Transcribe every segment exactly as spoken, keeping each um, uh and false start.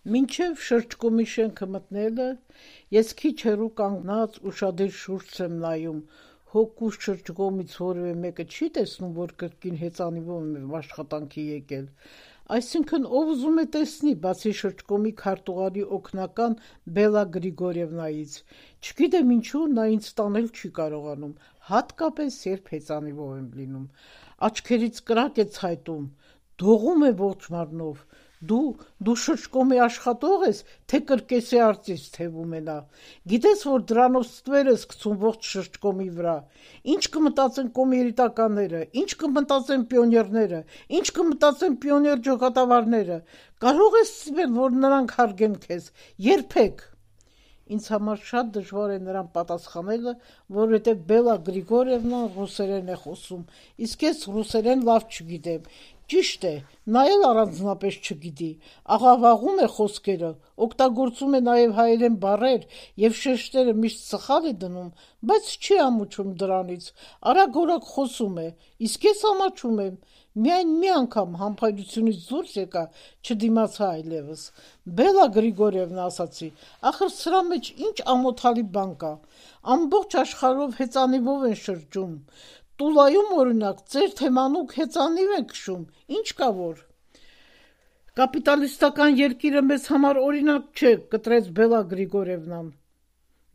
Մինչև շրջկոմի շենքը մտնելը, ես քիչ հեռու կանգնած ուշադիր շուրջս եմ նայում, հոգուս շրջկոմից որևէ մեկը չի տեսնում, որ կրկին հեծանիվով եմ աշխատանքի եկել, այսինքն ով ուզում է տեսնի, բացի շրջկոմի քարտուղարի օգնական Բելլա Գրիգորևնայից, չգիտեմ ինչու նա ինձ տանել չի կարողանում, հատկապես երբ հեծանիվով եմ լինում, աչքերից կրակ է ցայտում, դողում է ողջ մարմնով, դու, դու շրջկոմի աշխատող ես, թե կրկեսի արծիվ թևում է նա, գիտես, որ դրանով ստվեր ես գցում ողջ շրջկոմի վրա, ինչ կմտածեն կոմերիտականները, ինչ կմտածեն պիոներները, ինչ կմտածեն պիոներ ջոկատավարները, կարող ես սիվել, որ նրանք հարգեն քեզ, երբեք։ Ինձ համար շատ դժվար է նրան պատասխանելը, որովհետև Բելլա Գրիգորևնան ռուսերեն է խոսում, իսկ ես ռուսերեն լավ չգիտեմ, ճիշտ է, նա էլ առանձնապես չգիտի, աղավաղում է խոսքերը, օգտագործում է նաև հայերեն բառեր և շեշտերը միշտ սխալ է դնում, բայց չի ամաչում դրանից, արագ-օրագ խոսում է, իսկ ես ամաչում եմ, միայն մի անգամ համբայրությունից դուրս եկա, չդիմացա այլևս, Բելլա Գրիգորևնա ասացի, ախր սրա մեջ ինչ ամոթալի բան կա, ամբողջ աշխարհով հեծանիվով են շրջում, Տուլայում օրինակ ձեր թեմանուկ հեծանիվ են քշում, ինչ կա որ։ Կապիտալիստական երկիրը մեզ համար օրինակ չէ, կտրեց Բելլա Գրիգորևնան,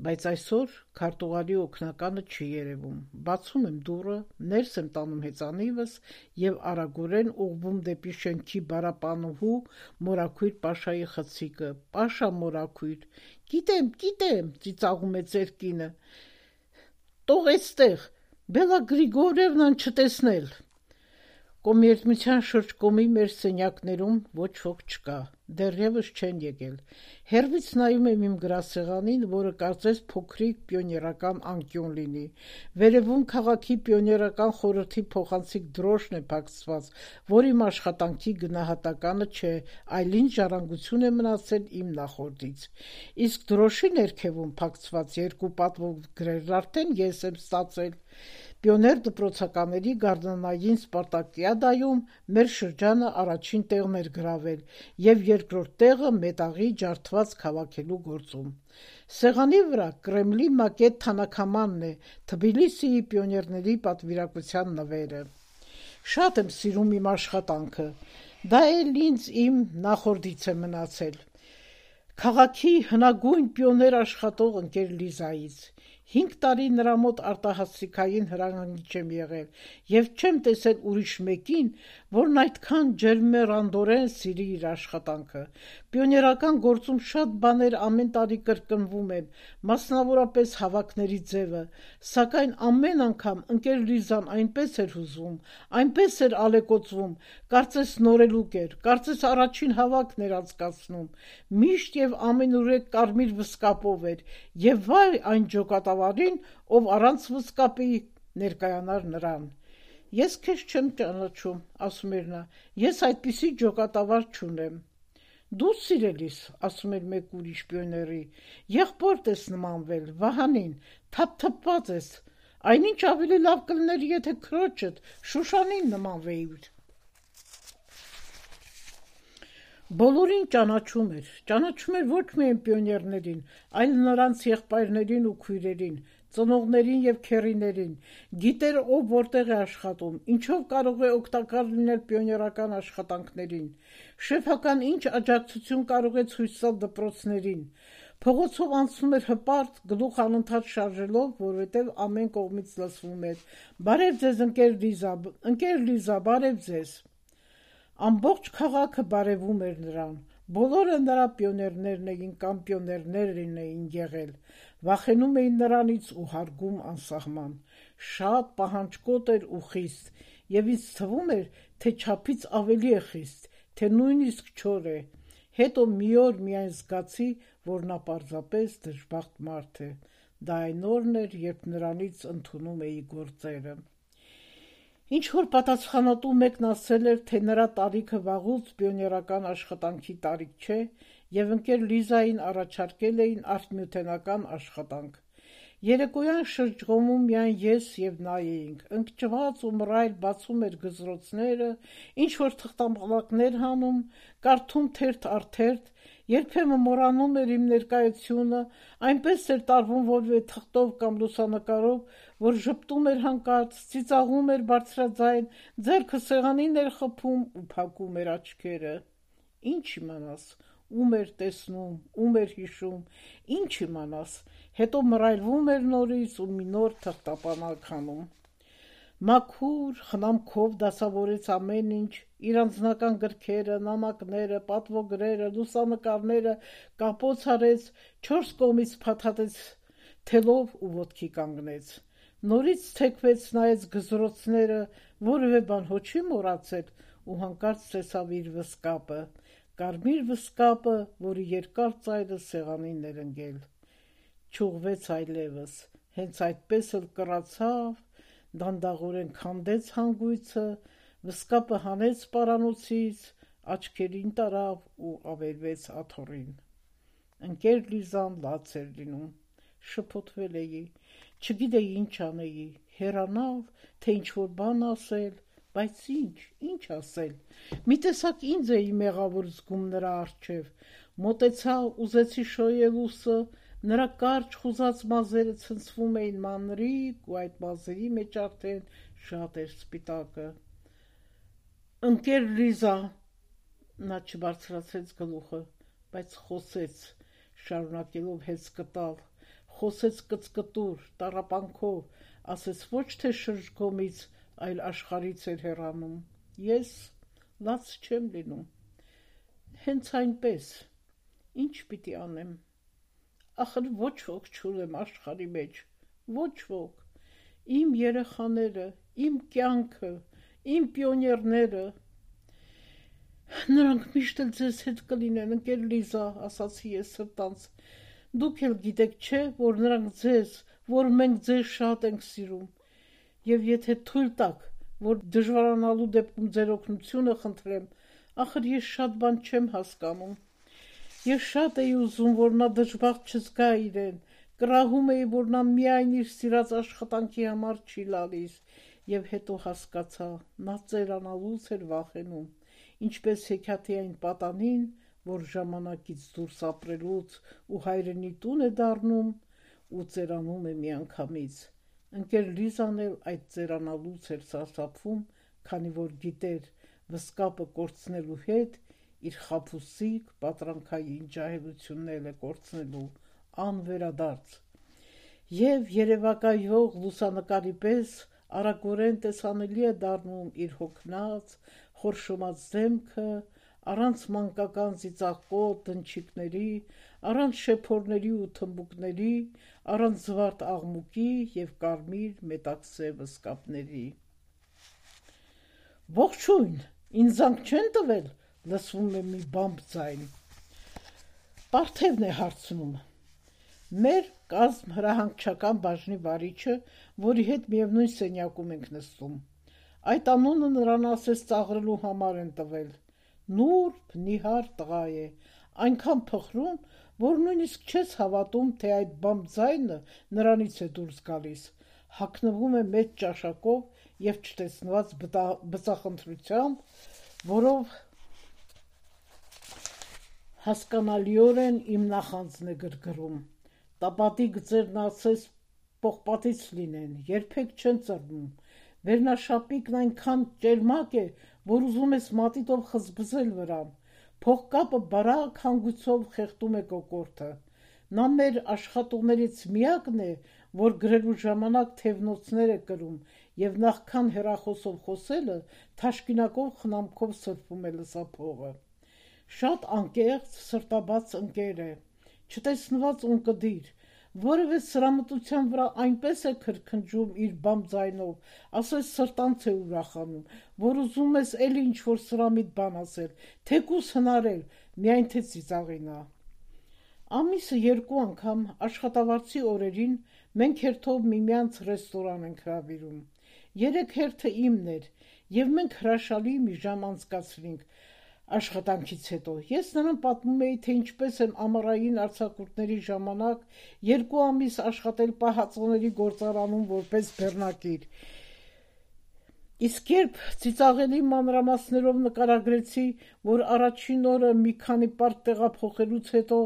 բայց այսօր քարտուղարի օգնականը չի երևում, բացում եմ դուռը, ներս եմ տանում հեծանիվս և արագորեն ուղղվում դեպի շենքի բարապանուհու մորաքույր Պաշայի խցիկը, Պաշա մորաքույր, գիտեմ, գիտեմ, ծիծաղում է ձեր կինը, տող էստեղ, Բելլա Գրիգորևնան չտեսնել։ Կոմերցության շրջկոմի մեր սենյակներում ոչ ոք չկա, դեռևս չեն եկել, հեռվից նայում եմ իմ գրասեղանին, որը կարծես փոքրիկ պիոներական անկյուն լինի, վերևում քաղաքի պիոներական խորհրդի փոխանցիկ դրոշն է փակցված, որ իմ աշխատանքի գնահատականը չէ, այլ ինչ ժառանգություն է մնացել իմ նախորդից, իսկ դրոշի ներքևում փակցված երկու պատվով գրերն արդեն ես եմ ստացել, Պիոներ դպրոցականների գարնանային սպարտակիադայում մեր շրջանը առաջին տեղն էր գրավել և երկրորդ տեղը մետաղի ջարդված քաղաքելու գործում։ Սեղանի վրա Կրեմլի մակետ թանաքամանն է, Թբիլիսիի պիոներների պատվիրակության նվերը։ Շատ եմ սիրում իմ աշխատանքը, դա էլ ինձ իմ նախորդից է մնացել։ Քաղաքի հնագույն պիոներ աշխատող ընկեր Լիզայից։ Հինգ տարի նրա մոտ արտահասթիկային հրահանգիչ եմ եղել և չեմ տեսել ուրիշ մեկին, որն այդքան ջերմեռանդորեն սիրի իր աշխատանքը։ Պիոներական գործում շատ բաներ ամեն տարի կրկնվում են, մասնավորապես հավաքների ձևը, սակայն ամեն անգամ ընկեր Լիզան այնպես էր հուզվում, այնպես էր ալեկոծվում, կարծես նորելուկ էր, կարծես առաջին հավաքն էր անցկացնում, միշտ և ամենուրեք կարմիր վսկապով էր, և վայ այն ջոկատավարին, ով առանց վսկապի ներկայանար նրան։ Ես քեզ չեմ ճանաչում, ասում էր նա, ես այդպիսի ջոկատավար չունեմ։ Դու սիրելիս, ասում էր մեկ ուրիշ պիոների, եղբորդ ես նմանվել, Վահանին, թափթփված ես, այնինչ ավելի լավ կլներ, եթե քրոջդ Շուշանին նմանվեիր։ Բոլորին ճանաչում էր, ճանաչում էր ոչ միայն պիոներներին, այլ նրանց եղբայրներին ու քույրերին, ծնողներին և քեռիներին, գիտեր ով որտեղ է աշխատում, ինչով կարող է օգտակար լինել պիոներական աշխատանքներին, շեֆական ինչ աջակցություն կարող է ցույց տալ դպրոցներին, փողոցով անցնում էր հպարտ, գլուխ անընդհատ շարժելով, որովհետև ամեն կողմից լսվում էր. «Բարև ձեզ, ընկեր Լիզա, ընկեր Լիզա, բարև ձեզ»։ Ամբողջ քաղաքը բարևում էր նրան, բոլորը նրա պիոներներն էին կամ պիոներներն էին եղել, վախենում էին նրանից ու հարգում անսահման, շատ պահանջկոտ էր ու խիստ, և ինձ թվում էր, թե չափից ավելի է խիստ, թե նույնիսկ չոր է, հետո մի օր միայն զգացի, որ նա պարզապես դժբախտ մարդ է, դա այն օրն էր, երբ նրանից ընդունում էի գործերը։ Ինչ-որ պատասխանատու մեկն ասել էր, թե նրա տարիքը վաղուց պիոներական աշխատանքի տարիք չէ և ընկեր Լիզային առաջարկել էին արդյունաբերական աշխատանք։ Երեկոյան շրջղոմում միայն ես և նա էինք, ընկճված ու մռայլ բացում էր գզրոցները, ինչ-որ թղթամալակներ հանում, կարդում թերթ առ թերթ երբեմն մոռանում էր իմ ներկայությունը, այնպես էր տարվում որևէ թղթով կամ լուսանկարով, որ ժպտում էր հանկարծ, ծիծաղում էր բարձրաձայն, ձեռքը սեղանին էր խփում ու փակում էր աչքերը։ Ինչ իմանաս, ում էր տեսնում, ում էր հիշում, ինչ իմանաս, հետո մռայլվում էր նորից ու մի նոր թղթապանակ հանում։ Մաքուր խնամքով դասավորեց ամեն ինչ, իր անձնական գրքերը, նամակները, պատվոգրերը, լուսանկարները կապոց արեց, չորս կողմից փաթաթեց թելով ու ոտքի կանգնեց։ Նորից թեքվեց, նայեց գզրոցները, որևէ բան հո չի մոռացել ու հանկարծ տեսավ իր վսկապը, կարմիր վսկապը, որի երկար ծայրը սեղանին էր ընկել։ Չուղվեց այլևս, հենց այդպես էլ կռացավ, դանդաղորեն քանդեց հանգույցը, վսկապը հանեց պարանոցից, աչքերին տարավ ու ավերվեց աթոռին։ Ընկեր Լիզան լաց էր լինում, շփոթվել էի, չգիտեի ինչ անեի, հեռանալ, թե ինչ-որ բան ասել, բայց ինչ, ինչ ասել։ Մի տեսակ ինձ էի մեղավոր զգում նրա առջև, մոտեցա, ուզեցի շոյել ուսը, նրա կարճ խուզած մազերը ցնցվում էին մանրիկ ու այդ մազերի մեջ արդեն շատ էր սպիտակը։ Ընկեր Լիզա, նա չբարձրացրեց գլուխը, բայց խոսեց, շարունակելով հեծ կտալ, խոսեց կծկտուր, տառապանքով, ասեց ոչ թե շրջգոմից, այլ աշխարհից էր հեռանում։ Ես լաց չեմ լինում։ Հենց այնպես, ինչ պիտի անեմ։ Ախր ոչ ոք չունեմ աշխարհի մեջ, ոչ ոք։ Իմ երեխաները, իմ կյանքը, իմ պիոներները։ Նրանք միշտ էլ ձեզ հետ կլինեն, ընկեր Լիզա, ասացի ես սրտանց։ Դուք էլ գիտեք, չէ, որ նրանք ձեզ, որ մենք ձեզ շատ ենք սիրում։ Եվ եթե թույլ տաք, որ դժվարանալու դեպքում ձեր օգնությունը խնդրեմ, ախր ես շատ բան չեմ հասկանում։ Ես շատ էի ուզում, որ նա դժբախտ չզգա իրեն, կռահում էի, որ նա միայն իր սիրած աշխատանքի համար չի լալիս, եւ հետո հասկացա, նա ծերանալուց էր վախենում, ինչպես հեքիաթի այն պատանին, որ ժամանակից դուրս ապրելուց ու հայրենի տուն է դառնում ու ծերանում է միանգամից։ Ընկեր Լիզան էլ այդ ծերանալուց էր սարսափվում, քանի որ գիտեր, վսկապը կորցնելու հետ իր խաբուսիկ պատրանքային ջահելությունն է կորցնելու անվերադարձ։ Եվ երևակայող լուսանկարի պես արագորեն տեսանելի է դառնում իր հոգնած, խորշոմած դեմքը, առանց մանկական ծիծաղկոտ դնչիկների, առանց շեփորների ու թմբուկների, առանց զվարթ աղմուկի և կարմիր մետաքսե վսկապների։ Ողջույն, ինձ զանգ չեն տվել, լսվում է մի բամբ ձայն։ Պարթևն է հարցնում։ Մեր կազմ հրահանգչական բաժնի վարիչը, որի հետ միևնույն սենյակում ենք նստում։ Այդ անունը նրան ասես ծաղրելու համար են տվել։ Նուրբ, նիհար տղա է, այնքան փխրուն, որ նույնիսկ չես հավատում, թե այդ բամբ ձայնը նրանից է դուրս գալիս, հագնվում է մեծ ճաշակով և չտեսնված բծախնդրությամբ, որով հասկանալիորեն իմ նախանձն է գրգռում։ Տապատի գծերն ասես պողպատից լինեն, երբեք չեն ծռվում, վերնաշապիկն այնքան ճերմակ է, որ ուզում ես մատիտով խզբզել վրան, փողկապը բարակ հանգույցով խեղդում է կոկորդը։ Նա մեր աշխատողներից միակն է, որ գրելու ժամանակ թևնոցներ է կրում և նախքան հեռախոսով խոսելը թաշկինակով խնամքով սրբում է լսափողը։ Շատ անկեղծ, սրտաբաց ընկեր է, չտեսնված ունկնդիր, որևէ սրամտության վրա այնպես է քրքնջում իր բամբ ձայնով, ասես սրտանց է ուրախանում, որ ուզում ես էլի ինչ-որ սրամիտ բան ասել, թեկուզ հնարել, միայն թե ծիծաղի նա։ Ամիսը երկու անգամ աշխատավարձի օրերին մենք հերթով միմյանց ռեստորան ենք հրավիրում։ Երեք հերթը իմն էր, և մենք հրաշալի մի ժամ անցկացրինք աշխատանքից հետո։ Ես նրան պատմում էի, թե ինչպես եմ ամառային արձակուրդների ժամանակ երկու ամիս աշխատել պահածոների գործարանում որպես բեռնակիր, Իսկ երբ ծիծաղելի մանրամասներով նկարագրեցի, որ առաջին օրը մի քանի պարկ տեղափոխելուց հետո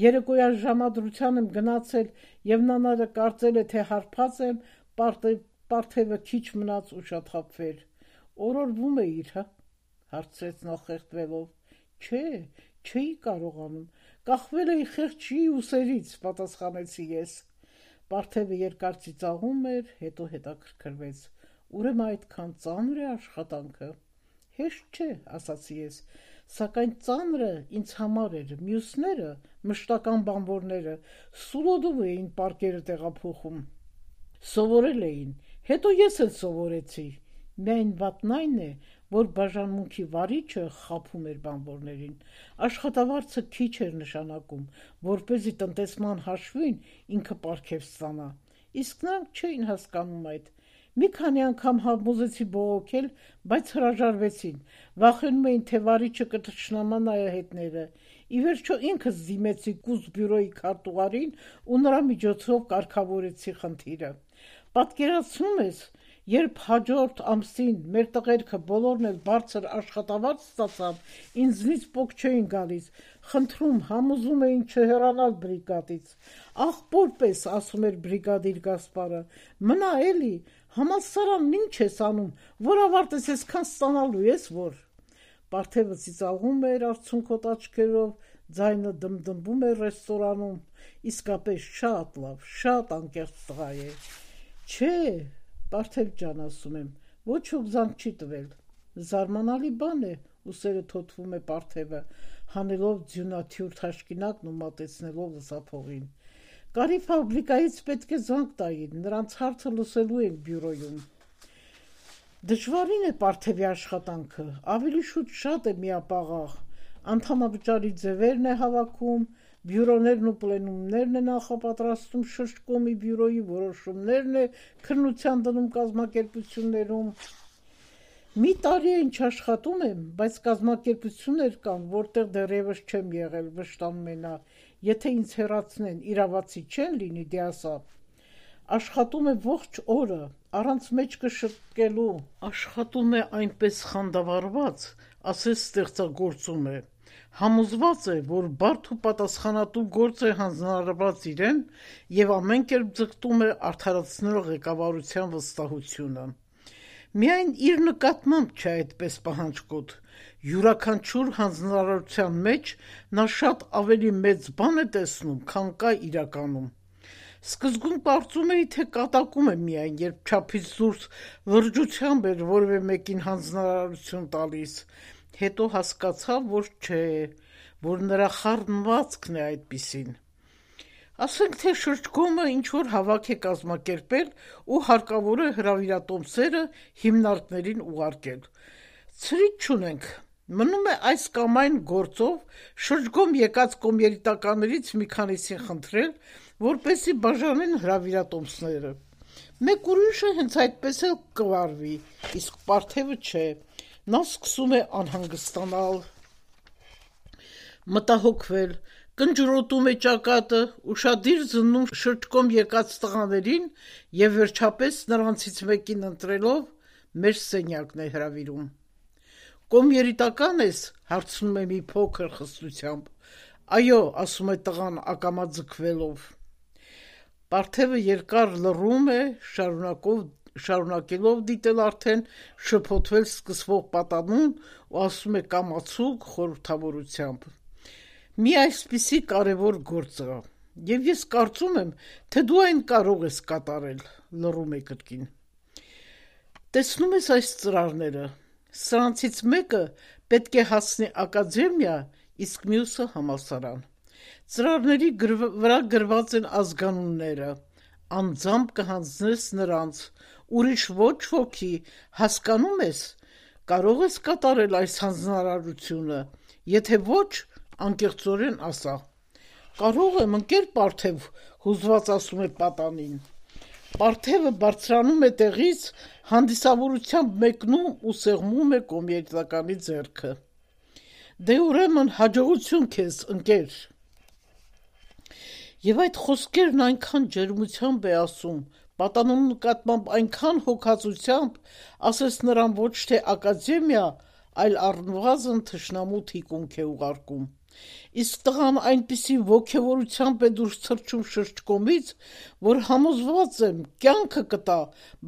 երեկոյան ժամադրության եմ գնացել եւ նանարը կարծել է, թե հարբած եմ, Պարթևը քիչ մնաց ուշաթափվեր։ Օրորվում էիր, հա, հարցրեց նա խեղդվելով։ Չէ, չէի կարողանում, կախվել էի խեղճի ուսերից, պատասխանեցի ես։ Պարթևը երկար ծիծաղում էր, հետո հետաքրքրվեց։ Ուրեմն այդքան ծանր է աշխատանքը։ Հեշտ չէ, ասացի ես, սակայն ծանրը ինձ համար էր, մյուսները, մշտական բանվորները, սուլոդով էին պարկերը տեղափոխում։ Սովորել էին, հետո ես էլ սովորեցի։ Միայն վատն այն է, որ բաժանմունքի վարիչը խաբում էր բանվորներին։ Աշխատավարձը քիչ էր նշանակում, որպեսզի տնտեսման հաշվին ինքը պարգև ստանա։ Իսկ նրանք չէին հասկանում այդ։ Մի քանի անգամ համոզեցի բողոքել, բայց հրաժարվեցին, վախենում էին, թե վարիչը կթշնամա նայահետները։ Ի վերջո ինքս դիմեցի կուսբյուրոյի քարտուղարին ու նրա միջոցով կարգավորեցի խնդիրը։ Պատկերացնում ես, երբ հաջորդ ամսին մեր տղերքը բոլորն էլ բարձր աշխատավարձ ստացան, ինձնից պոկ չէին գալիս, խնդրում, համոզում էին չհեռանալ բրիգադից։ Աղբոր պես, ասում էր բրիգադիր Գասպարը, մնա էլի, համալսարանն ինչ ես անում, որ ավարտես այսքան ստանալու ես, որ։ Պարթևը ծիծաղում էր արցունքոտ աչքերով, ձայնը դմդմվում էր ռեստորանում, իսկապես շատ լավ, շատ անկեղծ տղա է։ Չէ, Պարթև ջան, ասում եմ, ոչ ոք զանգ չի տվել։ Զարմանալի բան է, ուսերը թոթվում է Պարթևը, հանելով ձյունաթյուր թաշկինակն ու մատեցնելով լսափողին։ Կարի ֆաբրիկայից պետք է զանգ տային, նրանց հարցը լսելու են բյուրոյում։ Դժվարին է Պարթևի աշխատանքը, ավելի շուտ շատ է միապաղաղ, անդամավճարի ձևերն է հավաքում, բյուրոներն ու պլենումներն է նախապատրաստում շրջկոմի բյուրոյի որոշումներն է քննության դնում կազմակերպություններում։ Մի տարի է ինչ աշխատում եմ, բայց կազմակերպություններ կան, որտեղ դեռևս չեմ եղել, վշտանում է նա, եթե ինձ հեռացնեն, իրավացի չեն լինի, դե ասա։ Աշխատում է ողջ օրը, առանց մեջքը շտկելու, աշխատում է այնպես խանդավառված, ասես ստեղծագործում է։ Համոզված է, որ բարդ ու պատասխանատու գործ է հանձնարարված իրեն եւ ամեն կերպ ձգտում է արդարացնել ղեկավարության վստահությունը։ Միայն իր նկատմամբ չէ այդպես պահանջկոտ։ Յուրաքանչյուր հանձնարարության մեջ նա շատ ավելի մեծ բան է տեսնում, քան կա իրականում։ Սկզբում կարծում էի, թե կատակում է միայն, երբ չափից դուրս լրջությամբ էր որևէ մեկին հանձնարարություն տալիս։ Հետո հասկացա, որ չէ, որ նրա խառնվածքն է այդպիսին։ Ասենք թե շրջկոմը ինչ-որ հավաք է կազմակերպել ու հարկավոր է հրավիրատոմսերը հիմնարկներին ուղարկել։ Ցրիկ չունենք, մնում է այս կամ այն գործով շրջկոմ եկած կոմերիտականներից մի քանիսին խնդրել, որպեսզի բաժանեն հրավիրատոմսները։ Մեկ ուրիշը հենց այդպես էլ կվարվի, իսկ Պարթևը չէ, նա սկսում է անհանգստանալ, մտահոգվել, կնճռոտում է ճակատը, ուշադիր զննում շրջկոմ եկած տղաներին եւ վերջապես նրանցից մեկին ընտրելով մեր սենյակն է հրավիրում։ Կոմերիտական ես, հարցնում է մի փոքր խստությամբ։ Այո, ասում է տղան ակամա ձգվելով։ Պարթևը երկար լռում է, շարունակով շարունակելով դիտել արդեն շփոթվել սկսվող պատանուն ու ասում է կամացուկ խորհրդավորությամբ. Մի այսպիսի կարևոր գործ կա, եւ ես կարծում եմ, թե դու այն կարող ես կատարել, լռում է կրկին։ Տեսնում ես այս ծրարները, սրանցից մեկը պետք է հասնի ակադեմիա, իսկ մյուսը համալսարան։ Ծրարների վրա գրված են ազգանունները, անձամբ կհանձնես նրանց, ուրիշ ոչ ոքի, հասկանում ես, կարող ես կատարել այս հանձնարարությունը, եթե ոչ, անկեղծորեն ասա։ Կարող եմ, ընկեր Պարթև, հուզված ասում է պատանին։ Պարթևը բարձրանում է տեղից, հանդիսավորությամբ մեկնում ու սեղմում է կոմերիտականի ձեռքը։ Դե ուրեմն հաջողություն քեզ, ընկեր։ Եվ այդ խոսքերն այնքան ջերմությամբ է ասում, Պատանու նկատմամբ այնքան հոգացությամբ, ասես նրան ոչ թե ակադեմիա, այլ առնվազն թշնամու թիկունք է ուղարկում։ Իսկ տղան այնպիսի ոգևորությամբ է դուրս թռչում շրջկոմից, որ համոզված եմ, կյանքը կտա,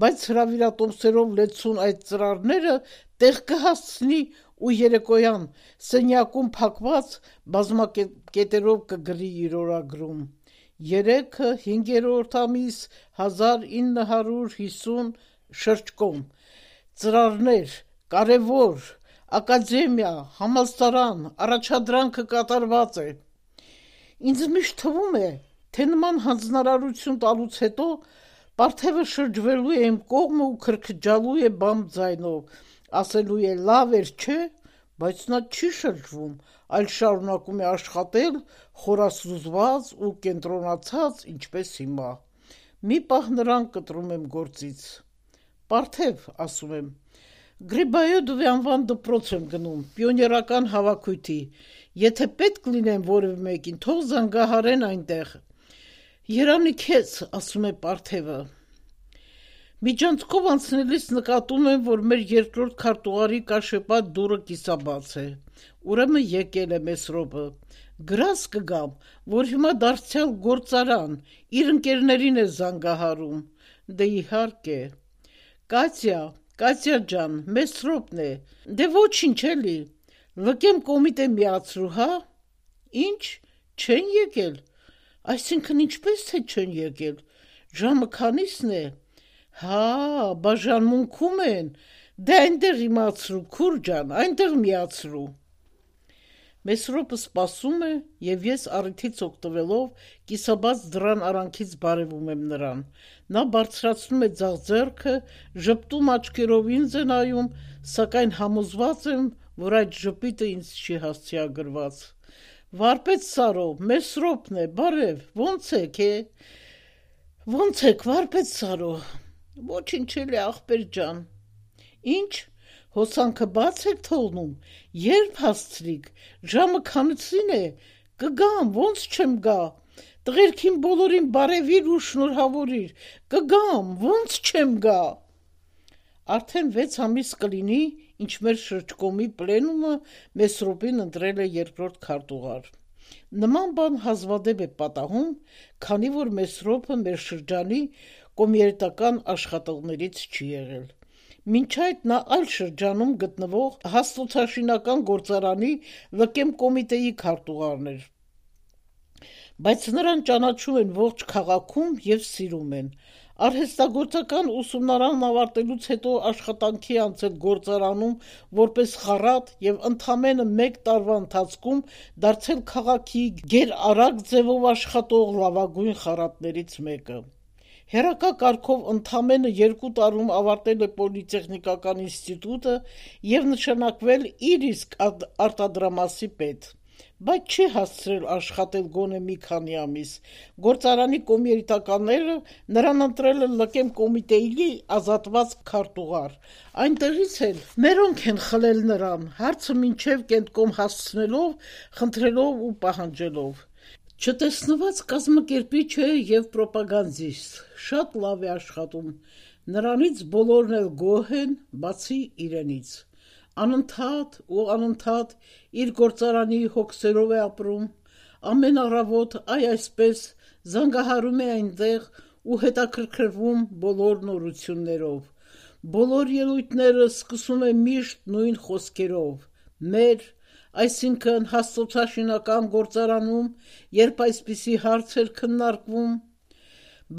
բայց հրավիրատոմսերով լեցուն այդ ծրարները տեղ կհասցնի ու երեկոյան սենյակում փակված բազմակետերով կգրի իր օրագրում։ Երեքը հինգերորդ ամիս հազար ինը հարյուր հիսուն շրջկոմ, ծրարներ, կարևոր, ակադեմիա, համալսարան, առաջադրանքը կատարված է։ Ինձ միշտ թվում է, թե նման հանձնարարություն տալուց հետո Պարթևը շրջվելու է իմ կողմը ու քրքջալու է բամբ ձայնով, ասելու է լավ էր, չէ, բայց նա չի շրջվում, այլ շարունակում է աշխատել խորասուզված ու կենտրոնացած, ինչպես հիմա։ Մի պահ նրան կտրում եմ գործից։ Պարթև, ասում եմ, Գրիբայոդովի անվան դպրոց եմ գնում, պիոներական հավաքույթի, եթե պետք լինեմ որևէ մեկին, թող զանգահարեն այնտեղ։ Երանի քեզ, ասում է Պարթևը։ Միջանցքով անցնելիս նկատում եմ, որ մեր երկրորդ քարտուղարի կաշեպատ դուռը կիսաբաց է։ Ուրեմն եկել է Մեսրոպը։ Գրաս կգամ, որ հիմա դարձյալ գործարան, իր ընկերներին է զանգահարում։ Դե իհարկե։ Կատյա, Կատյա ջան, Մեսրոպն է։ Դե ոչինչ էլի։ Լկեմ կոմիտե միացրու, հա։ Ինչ, չեն եկել։ Այսինքն ինչպես թե չեն եկել։ Ժամը քանիսն է։ Հա, բաժանմունքում են։ Դե այնտեղ իմացրու, քուր ջան, այնտեղ միացրու։ Մեսրոպը սպասում է, եւ ես առիթից օգտվելով կիսաբաց դռան արանքից բարևում եմ նրան։ Նա բարձրացնում է ձախ ձեռքը, ժպտում աչքերով ինձ է նայում, սակայն համոզված եմ, որ այդ ժպիտը ինձ չի հասցեագրված։ Վարպետ Սարո, Մեսրոպն է, բարև, ո՞նց եք, է։ Ո՞նց եք, վարպետ Սարո։ Ոչինչ էլի, ախպեր ջան։ Ինչ, հոսանքը բաց եք թողնում, երբ հասցրիք, ժամը քանցին է, կգամ, ոնց չեմ գա, տղերքին բոլորին բարևիր ու շնորհավորիր, կգամ, ոնց չեմ գա։ Արդեն վեց ամիս կլինի, ինչ մեր շրջկոմի պլենումը Մեսրոպին ընտրել է երկրորդ քարտուղար։ Նման բան հազվադեպ է պատահում, քանի որ Մեսրոպը մեր շրջանի կոմերիտական աշխատողներից չի եղել։ Մինչ այդ նա այլ շրջանում գտնվող հաստոցաշինական գործարանի լկեմ կոմիտեի քարտուղարն էր։ Բայց նրան ճանաչում են ողջ քաղաքում եւ սիրում են։ Արհեստագործական ուսումնարանն ավարտելուց հետո աշխատանքի անցել գործարանում որպես խառատ եւ ընդամենը մեկ տարվա ընթացքում դարձել քաղաքի գերարագ ձևով աշխատող լավագույն խառատներից մեկը։ Հերակա կարգով ընդամենը երկու տարում ավարտել է Պոլիտեխնիկական ինստիտուտը եւ նշանակվել իր իսկ արտադրամասի պետ, բայց չի հասցրել աշխատել գոնե մի քանի ամիս։ Գործարանի կոմերիտականները նրան ընտրել են լկեմ կոմիտեի ազատված քարտուղար։ Այնտեղից էլ մերոնք են խլել նրան, հարցը մինչև կենտկոմ հասցնելով, խնդրելով ու պահանջելով։ Չտեսնված կազմակերպիչ է եւ պրոպագանդիստ, շատ լավ է աշխատում, նրանից բոլորն էլ գոհ են, բացի իրենից։ Անընդհատ ու անընդհատ իր գործարանի հոգսերով է ապրում, ամեն առավոտ այ այսպես զանգահարում է այնտեղ ու հետաքրքրվում բոլոր նորություններով։ Բոլոր ելույթները սկսում է միշտ նույն խոսքերով. մեր, այսինքն հաստոցաշինական գործարանում, երբ այսպիսի հարց էր քննարկվում,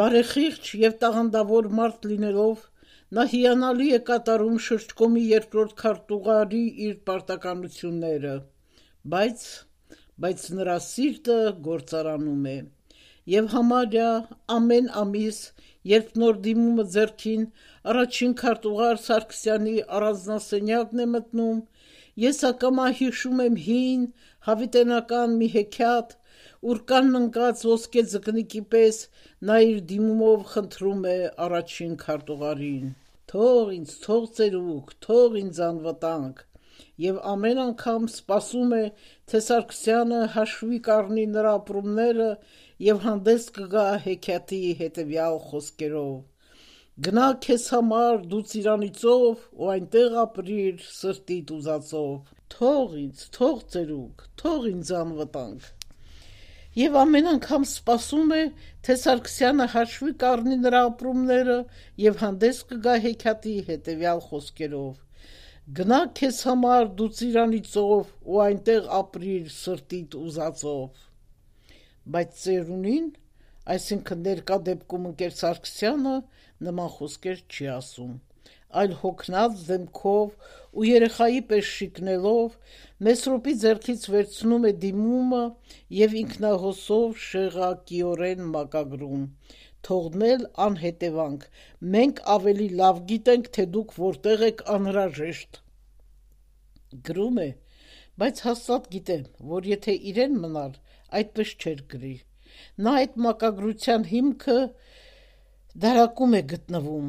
բարեխիղճ եւ տաղանդավոր մարդ լինելով, նա հիանալի է կատարում շրջկոմի երկրորդ քարտուղարի իր պարտականությունները, բայց, բայց նրա սիրտը գործարանում է, եւ համարյա ամեն ամիս, երբ նոր դիմումը ձեռքին առաջին քարտուղար Սարգսյանի առանձնասենյակն է մտնում, ես ակամա հիշում եմ հին, հավիտենական մի հեքիաթ, ուրկան ընկած ոսկե ձկնիկի պես նա իր դիմումով խնդրում է առաջին քարտուղարին. թող ինձ, թող ծերուկ, թող ինձ անվտանգ, եւ ամեն անգամ սպասում է, թե Սարգսյանը հաշվի կառնի նրա ապրումները եւ հանդես կգա հեքիաթի հետեւյալ խոսքերով. Գնա քեզ համար դու ծիրանիցով ու այնտեղ ապրիր սրտիդ ուզածով։ Թող ինձ, թող ծերուկ, թող ինձ անվտանգ։ Եվ ամեն անգամ սպասում է, թե Սարգսյանը հաշվի կառնի նրա ապրումները եւ հանդես կգա հեքիաթի հետեւյալ խոսքերով. Գնա քեզ համար դու ծիրանիցով ու այնտեղ ապրիր սրտիդ ուզածով։ Բայց ծերունին, այսինքն ներկա դեպքում ընկեր Սարգսյանը, նման խոսքեր չի ասում, այլ հոգնած դեմքով ու երեխայի պես շիկնելով Մեսրոպի ձեռքից վերցնում է դիմումը եւ ինքնահոսով շեղակիորեն մակագրում. թողնել անհետևանք, մենք ավելի լավ գիտենք, թե դուք որտեղ եք անհրաժեշտ։ Գրում է, բայց հաստատ գիտեմ, որ եթե իրեն մնար, այդպես չէր գրի։ Նա այդ մակագրության հիմքը դարակում է գտնվում,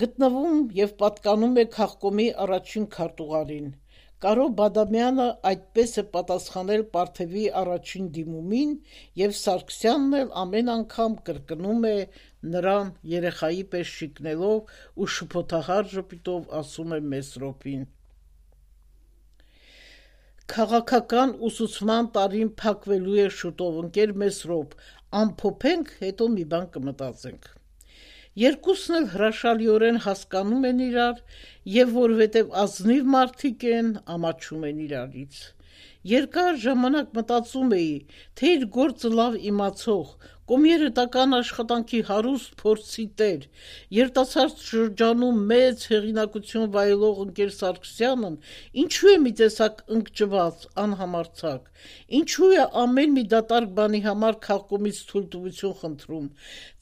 գտնվում եւ պատկանում է քաղկոմի առաջին քարտուղարին։ Կարո Բադամյանը այդպես է պատասխանել Պարթևի առաջին դիմումին եւ Սարգսյանն էլ ամեն անգամ կրկնում է նրան երեխայի պես շիկնելով ու շփոթահար ժպիտով ասում է Մեսրոպին. Քաղաքական ուսուցման տարին փակվելու է շուտով, ընկեր Մեսրոպ, ամփոփենք, հետո մի բան կմտածենք։ Երկուսն էլ հրաշալիորեն հասկանում են իրար եւ որովհետեւ ազնիվ մարդիկ են, ամաչում են իրարից։ Երկար ժամանակ մտածում էի, թե իր գործը լավ իմացող, կոմերտական աշխատանքի հարուստ փորձի տեր, երիտասարդ շրջանում մեծ հեղինակություն վայելող ընկեր Սարգսյանն ինչու է մի տեսակ ընկճված, անհամարձակ, ինչու է ամեն մի դատարկ բանի համար քաղկոմից թույլտվություն խնդրում,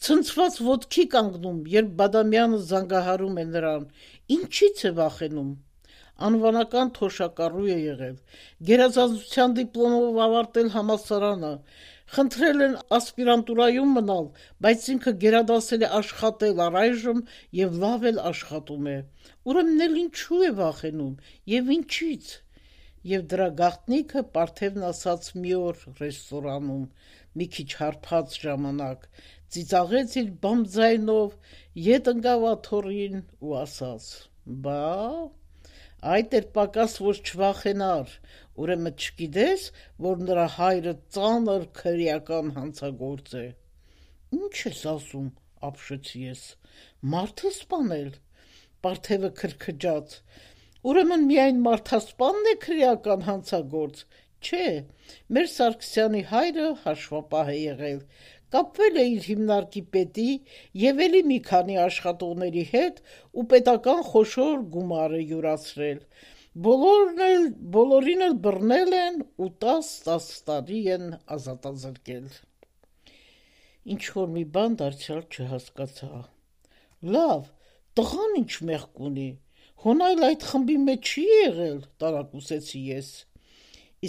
ցնցված ոտքի կանգնում, երբ Բադամյանը զանգահարում է նրան, ինչից է վախենում։ Անվանական թոշակառու է եղել, գերազանցության դիպլոմով ավարտել համալսարանը, խնդրել են ասպիրանտուրայում մնալ, բայց ինքը գերադասել է աշխատել առայժմ եւ լավ էլ աշխատում է։ Ուրեմն էլ ինչու է վախենում եւ ինչից։ Եվ դրա գաղտնիքը Պարթևն ասաց մի օր ռեստորանում, մի քիչ հարբած ժամանակ, ծիծաղեց իր բամ ձայնով, ետ ընկավ աթոռին ու ասաց. «Բա, այդ էր պակաս, որ չվախենար, ուրեմն չգիտես, որ նրա հայրը ծանր քրեական հանցագործ է»։ Ինչ ես ասում, ապշեցի ես, մարդ է սպանել։ Պարթևը քրքջաց. Ուրեմն միայն մարդասպանն է քրեական հանցագործ։ Չէ, մեր Սարգսյանի հայրը հաշվապահ է եղել, կապվել է իր հիմնարկի պետի եւ էլի մի քանի աշխատողների հետ ու պետական խոշոր գումար է յուրացրել։ Բոլորն էլ, բոլորին էլ բռնել են ու տաս-տաս տարի են ազատազրկել։ Ինչ-որ մի բան դարձյալ չհասկացա։ Լավ, տղան ինչ մեղք ունի, հոնայլ այդ խմբի մեջ չի եղել, տարակուսեցի ես։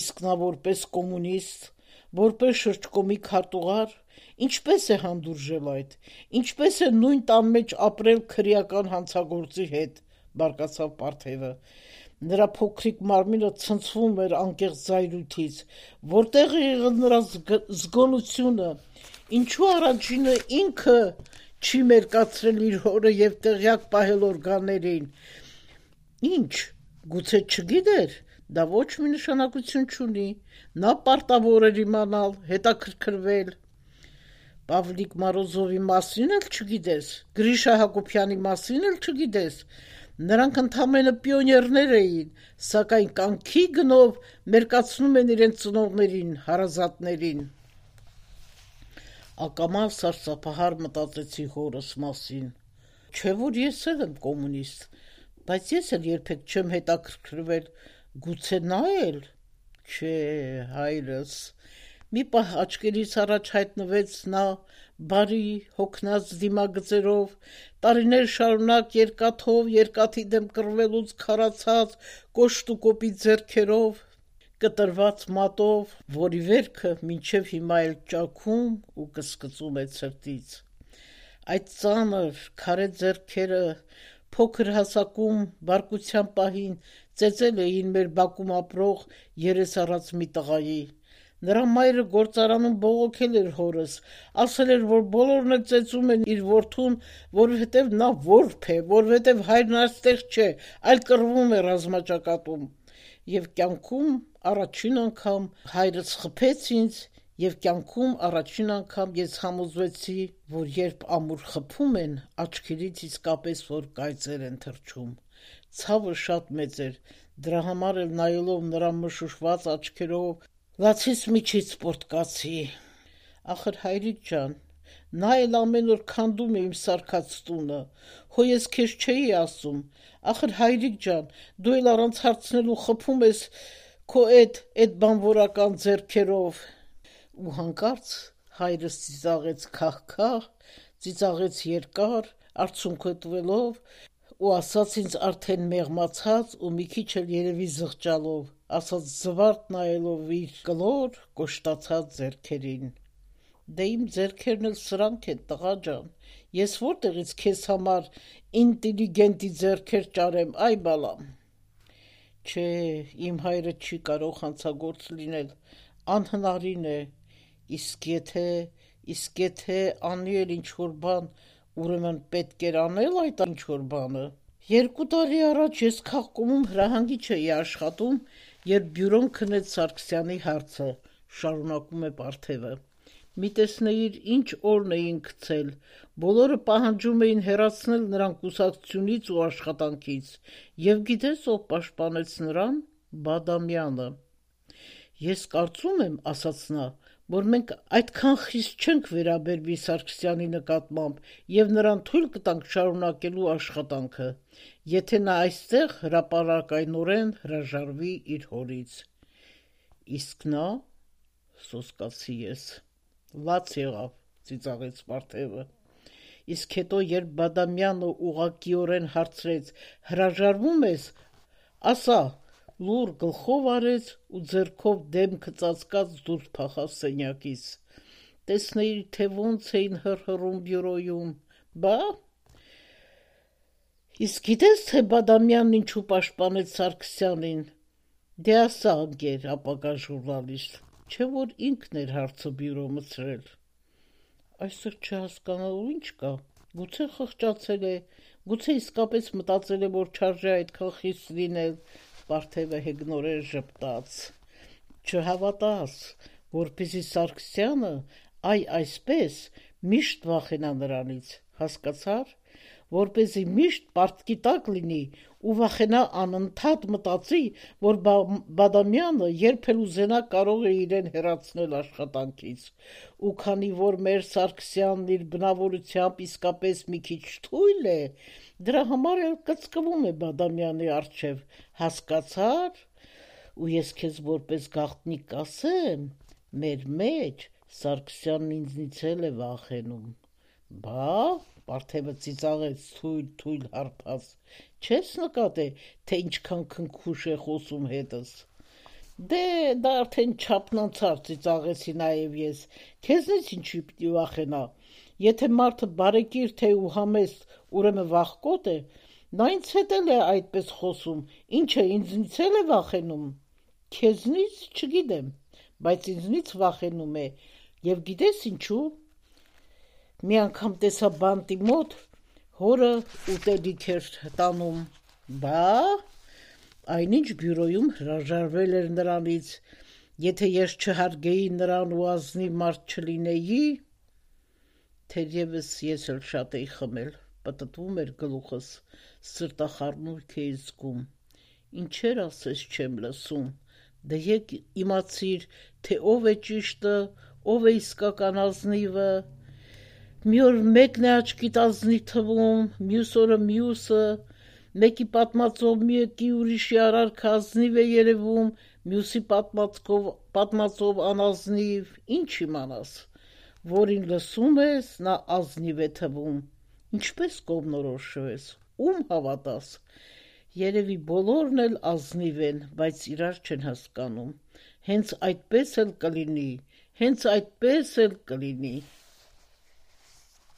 Իսկ նա որպես կոմունիստ, որպես շրջկոմի քարտուղար, ինչպես է հանդուրժել այդ, ինչպես է նույն տան մեջ ապրել քրեական հանցագործի հետ, բարկացավ Պարթևը։ Նրա փոքրիկ մարմինը ցնցվում էր անկեղծ զայրույթից, որտեղ է եղել նրա զգոնությունը, ինչու առաջինը ինքը չի մերկացրել իր հորը եւ տեղյակ պահել օրգաններին։ Ինչ, գուցե չգիտեր, դա ոչ մի նշանակություն չունի, նա պարտավոր էր իմանալ, հետաքրքրվել։ Պավլիկ Մարոզովի մասին էլ չգիտես, Գրիշա Հակոբյանի մասին էլ չգիտես, նրանք ընդամենը պիոներներ էին, սակայն կյանքի գնով մերկացնում են իրենց ծնողներին, հարազատներին։ Ակամա սարսափահար մտածեցի հորս մասին։ Չէ՞ որ ես էլ եմ կոմունիստ, բայց ես էլ երբեք չեմ հետաքրքրվել, գուցե նա էլ։ Չէ, հայրս։ Մի պահ աչքերիս առաջ հայտնվեց նա բարի հոգնած դիմագծերով, տարիներ շարունակ երկաթով երկաթի դեմ կռվելուց քարացած կոշտուկոպի ձեռքերով, կտրված մատով, որի վերքը մինչև հիմա էլ ճաքում ու կսկծում է ցրտից։ Այդ ծանր քարե ձեռքերը փոքր հասակում բարկության պահին ծեծել էին մեր բակում ապրող երես առած մի տղայի, Նրա մայրը գործարանում բողոքել էր հորս, ասել էր, որ բոլորն էլ ծեծում են իր որդուն, որովհետև նա որբ է, որովհետև հայրն այստեղ չէ, այլ կռվում է ռազմաճակատում։ Եվ կյանքում առաջին անգամ հայրս խփեց ինձ, և կյանքում առաջին անգամ ես համոզվեցի, որ երբ ամուր խփում են, աչքերից իսկապես որ կայծեր են թռչում։ Ցավը շատ մեծ էր, դրա համար էլ նայելով նրա մշուշված աչքերով լացիս միջից պոռթկացի։ Ախր հայրիկ ջան, նա էլ ամեն օր քանդում է իմ սարքած տունը, հո ես քեզ չէի ասում, ախր հայրիկ ջան, դու էլ առանց հարցնելու խփում ես քո էդ էդ բանվորական ձեռքերով։ Ու հանկարծ հայրս ծիծաղեց քահ-քահ, ծիծաղեց երկար, արցունքը տվելով ու ասաց ինձ արդեն մեղմացած ու մի քիչ էլ երևի զղջալով, ասաց զվարթ նայելով իր կլոր կոշտացած ձեռքերին. Դե իմ ձեռքերն էլ սրանք են, տղա ջան, ես որտեղից քեզ համար ինտելիգենտի ձեռքեր ճարեմ, այ բալամ։ Չէ, իմ հայրը չի կարող հանցագործ լինել, անհնարին է, իսկ եթե, իսկ եթե անի էլ ինչ-որ բան, ուրեմն պետք էր անել այդ ինչ-որ բանը։ Երկու տարի առաջ ես քաղկոմում հրահանգիչ էի աշխատում, երբ բյուրոն քնեց Սարգսյանի հարցը, շարունակում է Պարթևը։ Մի տեսնեիր ինչ օրն էին գցել, բոլորը պահանջում էին հեռացնել նրան կուսակցությունից ու աշխատանքից, և գիտես ով պաշտպանեց նրան, Բադամյանը։ Ես կարծում եմ, ասաց նա, որ մենք այդքան խիստ չենք վերաբերվի Սարգսյանի նկատմամբ և նրան թույլ կտանք շարունակելու աշխատանքը, եթե նա այստեղ հրապարակայնորեն հրաժարվի իր հորից։ Իսկ նա, սոսկացի ես, լաց եղավ, ծիծաղեց Պարթևը։ Իսկ հետո երբ Բադամյանը ուղղակիորեն հարցրեց, հրաժարվում ես, ասա, լուռ գլխով արեց ու ձեռքով դեմքը ծածկած դուրս փախավ սենյակից։ Տեսնեիր, թե ոնց էին հռհռում բյուրոյում, բա։ Իսկ գիտես, թե Բադամյանն ինչու պաշտպանեց Սարգսյանին։ Դե ասա, ընկեր, ապագա ժուրնալիստ, չէ որ ինքն էր հարցը բյուրո մտցրել։ Այստեղ չհասկանալու ինչ կա, գուցե խղճացել է, գուցե իսկապես մտածել է, որ չարժե այդքան խիստ լինել, Պարթևը հեգնորեն ժպտաց։ Չհավատաս, որպեսզի Սարգսյանը, այ այսպես, միշտ վախենա նրանից, հասկացար, որպեսզի միշտ պարտքի տակ լինի ու վախենա անընդհատ մտածի, որ Բադամյանը երբ էլ ուզենա կարող է իրեն հեռացնել աշխատանքից, ու քանի որ մեր Սարգսյանն իր բնավորությամբ իսկապես մի քիչ թույլ է, դրա համար էլ կծկվում է Բադամյանի առջև, հասկացար, ու ես քեզ որպես գաղտնիք կասեմ, մեր մեջ Սարգսյանն ինձնից էլ է վախենում։ Բա, Պարթևը ծիծաղեց թույլ-թույլ հարբած, չես նկատե, թե ինչքան քնքուշ է խոսում հետս։ Դե, դա արդեն չափն անցար, ծիծաղեցի նաև ես, քեզնից ինչի պիտի վախենա, եթե մարդը բարեկիրթ է ու համեստ, ուրեմն վախկոտ է, նա ինձ հետ էլ է այդպես խոսում, ինչ է, ինձնից էլ է վախենում։ Քեզնից չգիտեմ, բայց ինձնից վախենում է, և գիտես ինչու։ Մի անգամ տեսա բանտի մոտ, հորը ուտելիք էր տանում, բա, այնինչ բյուրոյում հրաժարվել էր նրանից, եթե ես չհարգեի նրան ու ազնիվ մարդ չլինեի, թերևս ես էլ շատ էի խմել, պտտվում էր գլուխս, սրտախառնուրդ էի զգում, ինչեր ասես չեմ լսում, դե եկ իմացիր, թե ով է ճիշտը, ով է իսկական ազնիվը, մի օր մեկն է աչքիդ ազնիվ թվում, մյուս օրը մյուսը, մեկի պատմածով մեկի ուրիշի արարքը ազնիվ է երևում, մյուսի պատմածով, պատմածով անազնիվ, ինչ իմանաս, որին լսում ես, նա ազնիվ է թվում, ինչպես կողմնորոշվես, ում հավատաս, երևի բոլորն էլ ազնիվ են, բայց իրար չեն հասկանում, հենց այդպես էլ կլինի, հենց այդպես էլ կլինի։